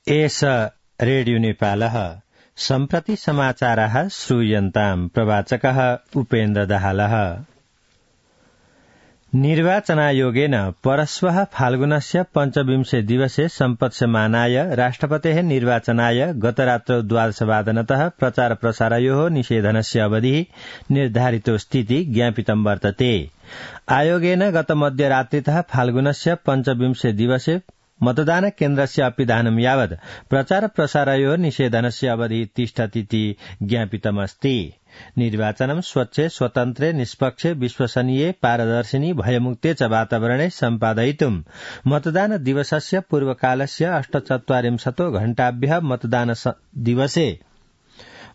एष रेडियो नेपालः सम्प्रति समाचाराः श्रूयन्ताम्। प्रवाचकः उपेन्द्र दाहालः। निर्वाचनायोगेन परश्वः फाल्गुनस्य पञ्चविंशे दिवसे सम्पत्स्यमानाय राष्ट्रपतेः निर्वाचनाय गतरात्रौ 12:00 प्रचार प्रसारयोः निषेधनस्य अवधिः निर्धारितो स्थिति ज्ञापितं वर्तते। आयोगेन गत मध्यरात्रितः फाल्गुनस्य पञ्चविंशे दिवसे मतदान केन्द्रस्य अपिधानं यावत् प्रचार प्रसारयोः निषेधनस्य अवधिः तिष्ठतीति ज्ञापितमस्ति। निर्वाचनं स्वच्छे स्वतन्त्रे निष्पक्षे विश्वसनीये पारदर्शिनी भयमुक्ते च वातावरणे सम्पादयितुं मतदान दिवसस्य पूर्वकालस्य 48 घण्टाभ्यः मतदान दिवसे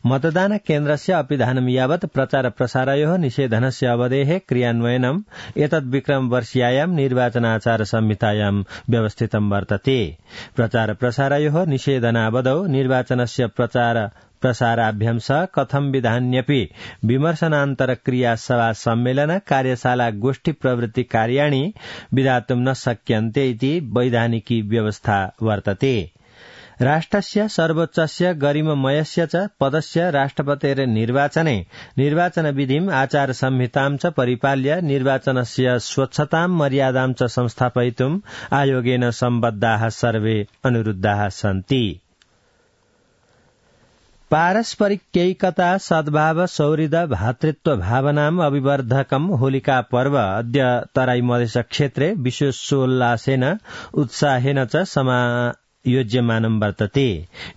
मतदान केन्द्रस्य अपिधानं यावत् प्रचार प्रसारयोः निषेधनस्य अवधेः क्रियान्वयनम् एतद्विक्रमवर्षीयायां निर्वाचनाचार संहितायां व्यवस्थितं वर्तते। प्रचार प्रसारयोः निषेधनावधौ निर्वाचनस्य प्रचार प्रसाराभ्यां सह कथं विधान्यपि विमर्शनान्तर क्रिया सभा सम्मेलन कार्यशाला गोष्ठी प्रवृत्ति कार्याणि विधातुं न शक्यन्ते इति वैधानिकी व्यवस्था वर्तते। राष्ट्रस्य सर्वोच्चस्य गरिममयस्य च पदस्य राष्ट्रपतेः निर्वाचने निर्वाचनविधिम् आचार संहितां च परिपाल्य निर्वाचनस्य स्वच्छतां मर्यादां च संस्थापयितुम् आयोगेन सम्बद्धाः सर्वे अनुरुद्धाः सन्ति। पारस्परिकैकता सद्भाव सौहृद भातृत्व भावनाम् अभिवर्धकम् होलिका पर्व अद्य तराई मधेस क्षेत्रे विशेषोल्लासेन उत्साहेन च योज्यमानं वर्तते।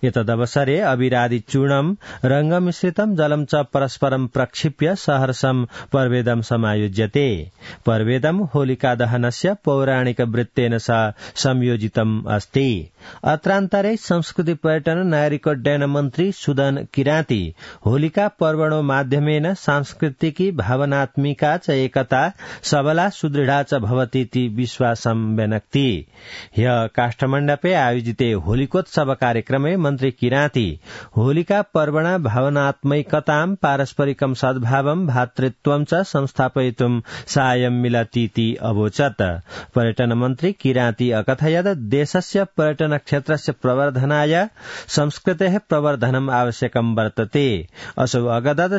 एतदवसरे अविरादि चूर्णम् रंगमिश्रितं जलं च परस्परं प्रक्षिप्य सहर्षं पर्वेदं समायोज्यते। पर्वेदं होलिका दहनस्य पौराणिक वृत्तेन सह संयोजितम् अस्ति। अत्रान्तरे संस्कृति पर्यटन नागरिकोड्डयन मन्त्री सुदन किराती होलिका पर्वणो माध्यमेन सांस्कृतिकी भावनात्मिका च एकता सबला सुदृढा च भवतीति विश्वासं व्यनक्ति। ह्यः काष्ठमण्डपे आयोजिते होलिकोत्सव कार्यक्रमे मन्त्री किराती होलिका पर्वणा भावनात्मकतां पारस्परिकं सद्भावं भातृत्वं च संस्थापयितुं साहाय्यं मिलतीति अवोचत्। पर्यटन मन्त्री किराती अकथयत् देशस्य पर्यटन क्षेत्रस्य प्रवर्धनाय संस्कृतेः प्रवर्धनम् आवश्यकं वर्तते। असौ अगदत्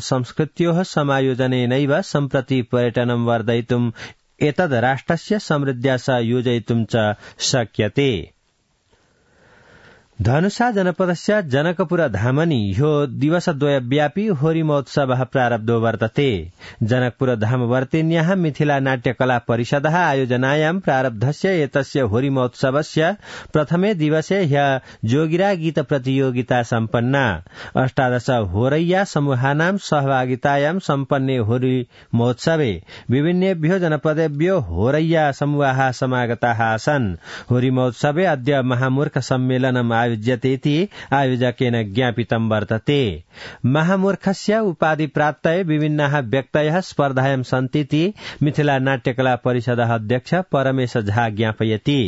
संस्कृत्योः समायोजनेनैव सम्प्रति पर्यटनं वर्धयितुम् एतद् राष्ट्रस्य समृद्ध्या सह योजयितुं च शक्यते। धनुषा जनपदस्य जनकपुर धामनि ह्यो दिवसद्वयव्यापी होरी महोत्सवः प्रारब्धो वर्तते। जनकपुर धामवर्तिन्याः मिथिला नाट्यकला परिषदः आयोजनायां प्रारब्धस्य एतस्य होरी महोत्सवस्य प्रथमे दिवसे ह्यः जोगिरा गीत प्रतियोगिता सम्पन्ना। 18 होरैया समूहानां सहभागितायां सम्पन्ने होरी महोत्सवे विभिन्नेभ्यो जनपदेभ्यो होरैया समूहाः समागताः आसन्। होरी महोत्सवे अद्य महामूर्ख सम्मेलनम् आयोज्यतेति आयोजकेन ज्ञापितं वर्तते। महामूर्खस्य उपाधि प्राप्तये विभिन्नाः व्यक्तयः स्पर्धायां सन्तीति मिथिला नाट्यकला परिषदः अध्यक्ष परमेश झा ज्ञापयति।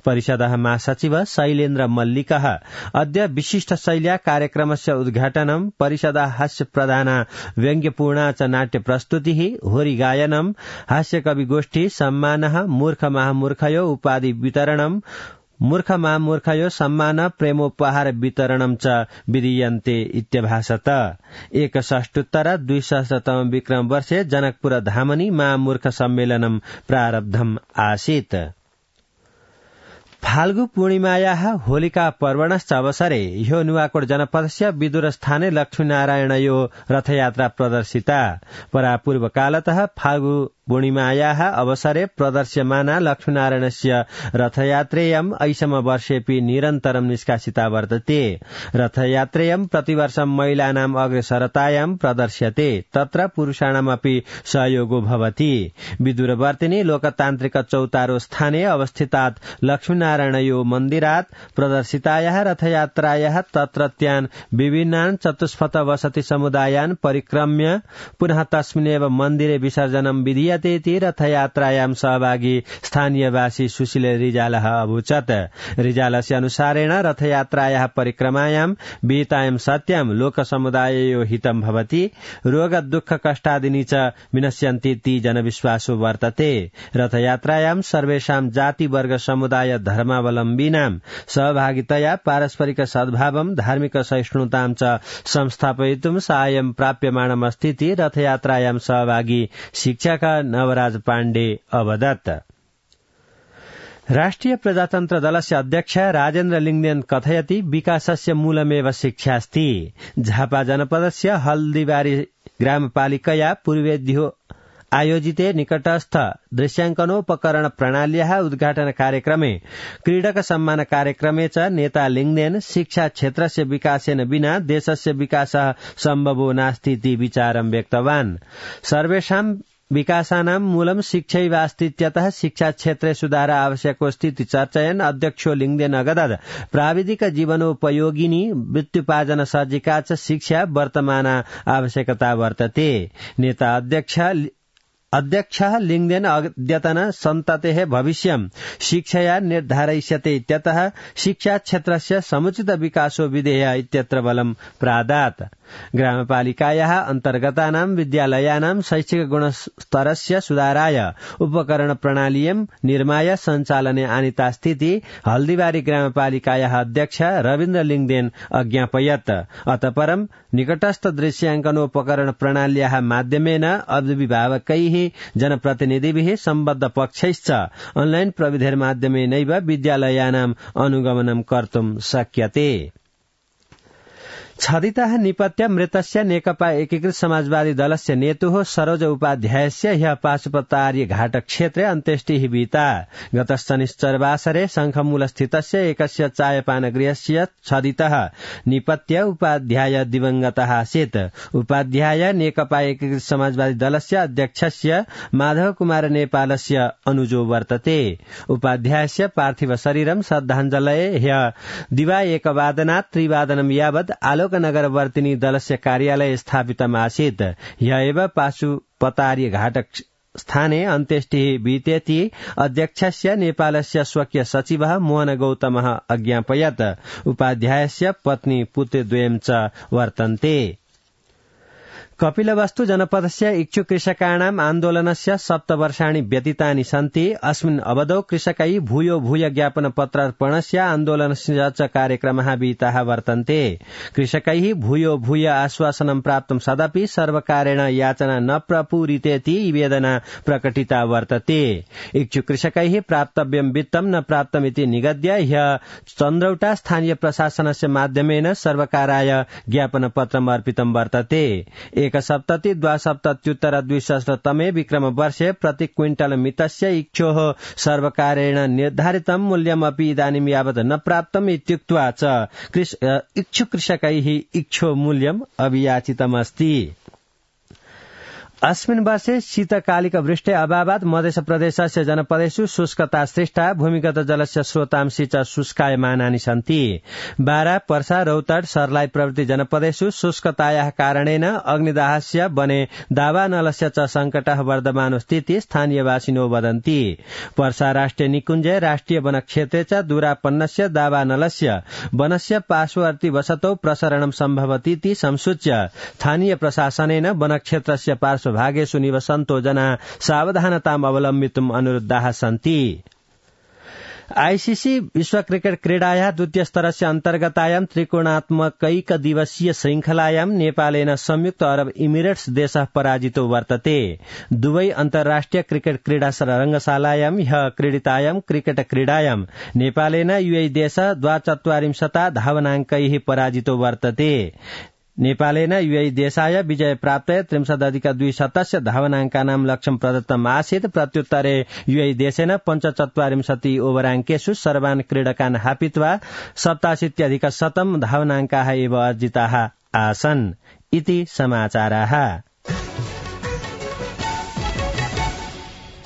परिषदः महासचिव शैलेन्द्र मल्लिकः अद्य विशिष्ट शैल्या कार्यक्रमस्य उद्घाटनं परिषदः हास्य प्रधान व्यङ्ग्यपूर्णा च नाट्य प्रस्तुतिः होरी गायनं हास्यकविगोष्ठी सम्मानः मूर्ख महामूर्खयो उपाधि वितरणं मूर्ख महामूर्खयो सम्मान प्रेमोपहार वितरणं च विधीयन्ते इत्यभाषत। 61 विक्रम वर्षे जनकपुर धामनि महामूर्ख सम्मेलनं प्रारब्धम् आसीत्। फाल्गु पूर्णिमायाः होलिका पर्वणश्च अवसरे ह्यो नुवाकोट जनपदस्य विदुरस्थाने लक्ष्मीनारायणयो रथयात्रा प्रदर्शिता। परापूर्वकालतः फाल्गु पूर्णिमायाः अवसरे प्रदर्श्यमाना लक्ष्मीनारायणस्य रथयात्रेयम् ऐषम वर्षेऽपि निरन्तरं निष्कासिता वर्तते। रथयात्रेयं प्रतिवर्षं महिलानाम् अग्रसरतायां प्रदर्श्यते। तत्र पुरुषाणामपि सहयोगो भवति। विदुरवर्तिनि लोकतान्त्रिक चौतारो स्थाने अवस्थितात् लक्ष्मीनारायणयो मन्दिरात् प्रदर्शितायाः रथयात्रायाः तत्रत्यान् विभिन्नान् चतुष्पथ वसति समुदायान् परिक्रम्य पुनः तस्मिन्नेव मन्दिरे विसर्जनं विधीयते। विद्यतेति रथयात्रायां सहभागी स्थानीयवासी सुशील रिजालः अभूचत्। रिजालस्य अनुसारेण रथयात्रायाः परिक्रमायां विहितायां सत्यां लोकसमुदाययो हितं भवति, रोग दुःख कष्टादिनी च विनश्यन्ति ती जनविश्वासो वर्तते। रथयात्रायां सर्वेषां जाति वर्ग समुदाय धर्मावलम्बीनां सहभागितया पारस्परिक सद्भावं धार्मिक सहिष्णुतां च संस्थापयितुं साहाय्यं प्राप्यमाणमस्तीति रथयात्रायां सहभागी शिक्षक नवराज पाण्डे अवदत्। राष्ट्रिय प्रजातन्त्र दलस्य अध्यक्ष राजेन्द्र लिङ्गदेन कथयति विकासस्य मूलमेव शिक्षास्ति। झापा जनपदस्य हल्दीबारी ग्रामपालिकया पूर्वेद्यो आयोजिते निकटस्थ दृश्याङ्कनोपकरण प्रणाल्याः उद्घाटन कार्यक्रमे क्रीडक सम्मान कार्यक्रमे च नेता लिङ्गदेन शिक्षा क्षेत्रस्य विकासेन विना देशस्य विकासः सम्भवो नास्ति इति विचारं व्यक्तवान्। सर्वेषां विकासानां मूलं शिक्षैवास्तीत्यतः शिक्षा क्षेत्रे सुधार आवश्यकोऽस्ति चर्चयन् अध्यक्षो लिङ्गदेन अगदत् प्राविधिक जीवनोपयोगिनी वृत्त्युपार्जन सज्जिका च शिक्षा वर्तमाना आवश्यकता वर्तते। नेता अध्यक्षः लिङ्गदेन अद्यतन सन्ततेः भविष्यं शिक्षया निर्धारयिष्यते इत्यतः शिक्षा क्षेत्रस्य समुचित विकासो विधेय इत्यत्र बलं प्रादात्। ग्रामपालिकायाः अन्तर्गतानां विद्यालयानां शैक्षिक गुणस्तरस्य सुधाराय उपकरण प्रणालीयं निर्माय सञ्चालने आनीतास्तीति हल्दीबारी ग्रामपालिकायाः अध्यक्ष रविन्द्र लिङ्गदेन अज्ञापयत्। अतः परं निकटस्थ दृश्याङ्कनोपकरण प्रणाल्याः माध्यमेन अभिभावकैः जनप्रतिनिधिभिः सम्बद्ध पक्षैश्च ऑनलाइन प्रविधिर्माध्यमेनैव विद्यालयानाम् अनुगमनं कर्तुं शक्यते। छदितः निपत्य मृतस्य नेकपा एकीकृत समाजवादी दलस्य नेतुः सरोज उपाध्यायस्य ह्यः पाशुपतार्य घाट क्षेत्रे अन्त्येष्टिः विहिता। गत शनिश्चरवासरे शङ्खमूलस्थितस्य एकस्य चायपानगृहस्य छदितः निपत्य उपाध्याय दिवंगतः आसीत्। उपाध्याय नेकपा एकीकृत समाजवादी दलस्य अध्यक्षस्य माधव कुमार नेपालस्य अनुजो वर्तते। उपाध्यायस्य पार्थिव शरीरं श्रद्धाञ्जलये ह्यः दिवा 1:00 3:00 यावत् नगरवर्तिनी दलस्य कार्यालय स्थापितम् आसीत्। ह्यः एव पाशुपतार्य घाट स्थाने अन्त्येष्टिः विहितेति अध्यक्षस्य नेपालस्य स्वकीय सचिवः मोहन गौतमः अज्ञापयत्। उपाध्यायस्य पत्नी पुत्रद्वयं च वर्तन्ते। कपिलवस्तु जनपदस्य इच्छुक कृषकाणाम् आन्दोलनस्य 7 वर्षाणि व्यतीतानि सन्ति। अस्मिन् अवधौ कृषकै भूयो भूय ज्ञापन पत्रार्पणस्य आन्दोलनस्य च कार्यक्रमः विहिताः वर्तन्ते। कृषकैः भूयो भूय आश्वासनं प्राप्तं सदपि सर्वकारेण याचना न प्रपूरितेति वेदना प्रकटिता वर्तते। इच्छुक कृषकैः प्राप्तव्यं वित्तं न प्राप्तमिति निगद्य ह्यः चन्द्रौटा स्थानीय प्रशासनस्य माध्यमेन सर्वकाराय ज्ञापन पत्रम् अर्पितं वर्तते। 1,72,270 विक्रम वर्षे प्रति क्विंटल मितस्य इक्षोः सर्वकारेण निर्धारितं मूल्यमपि इदानीं यावत् न प्राप्तम् इत्युक्त्वा च इच्छुक कृषकैः इक्षो मूल्यम् अभियाचितमस्ति। अस्मिन् वर्षे शीतकालिक वृष्टे अभावात् मध्य प्रदेशस्य जनपदेषु शुष्कता सृष्टा भूमिगत जलस्य स्रोतांशी च शुष्कायमानानि सन्ति। बारा पर्सा रौतड सर्लाही प्रभृति जनपदेषु शुष्कतायाः कारणेन अग्निदाहस्य वने दावानलस्य च संकटः वर्धमानोऽस्तीति स्थानीयवासिनो वदन्ति। पर्सा राष्ट्रिय निकुञ्जे राष्ट्रिय वनक्षेत्रे च दूरापन्नस्य दावानलस्य वनस्य पार्श्ववर्ती वसतौ प्रसरणं सम्भवतीति संसूच्य स्थानीय प्रशासनेन वनक्षेत्रस्य भागेषु निवसन्तो जनाः सावधानताम् अवलम्बितुम् अनुरुद्धाः सन्ति। आईसीसी विश्व क्रिकेट क्रीडायाः द्वितीय स्तरस्य अन्तर्गतायां त्रिकोणात्मकैक दिवसीय श्रृंखलायां नेपालेन संयुक्त अरब इमिरेट्स देशः पराजितो वर्तते। दुवै अन्तर्राष्ट्रिय क्रिकेट क्रीडा रंगशालायां ह्यः क्रीडितायां क्रिकेट क्रीडायां नेपालेन यूएई देशः 42 धावनाङ्कैः पराजितो वर्तते। नेपालेन यूएई देशाय विजय प्राप्त 63.2 धावनाङ्कानां लक्ष्यं प्रदत्तम् आसीत्। प्रत्युत्तरे यूएई देशेन 45 ओभराङ्केषु सर्वान् क्रीडकान् हापित्वा 87% धावनाङ्काः एव अर्जिताः आसन्। इति समाचाराः।